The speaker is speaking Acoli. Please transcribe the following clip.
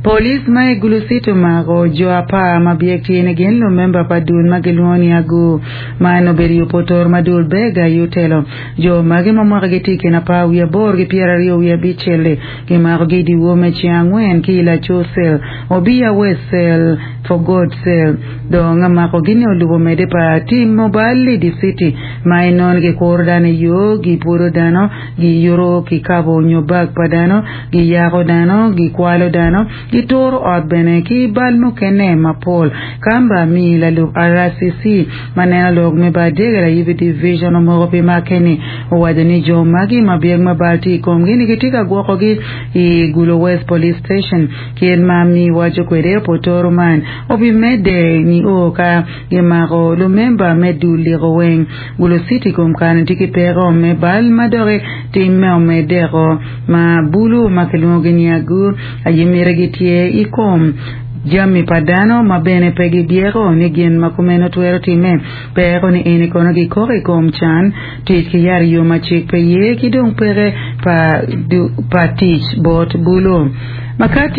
Police ma i Gulu City omako jo apar ma byek tye ni gin lumemba pa dul ma gilwongo ni Agu. Man obedo i opotoro ma dul Bega aye otelo. Jo magi ma mwakagi tye i kin apar wiye aboro ki pyeraryo wiye abicel-li gimakogi i dyewor me ceng angwen ki i Laco Cell, Obiya West Cell, For God Cell. Dong makogi-ni olubo medde pa timo bal i dye citi ma inongo ni gikuro dano i yo, gipwodo dano, giyuto kikabo nyo bag pa dano, giyako dano, gikwalo dano, gituro ot bene ki bal mukene mapol. Kamba Amii lalub RCC ma neno lok me Badegere Ayibi Division omoko pi make-ni owaco ni jo magi ma byek ma bal tye i komgi-ni gitye ka gwokogi i Gulu West Police Station. Kit ma Amii waco kwede, opotoro man obimedde nio ka gimako lumemba me dul liko weng. Gulu City kom kare tye ki peko me bal ma doki timme omedeko ma bulu ma kilwongogi ni agur aye mitigi tye i kom jami pa dano ma bene pe gibyeko ni gin ma kumeno twero timme. Peko ni eni kono gikoko i kom can, tic ki yat i yo ma cik pe ye ki dong peke pa tic bot bulu.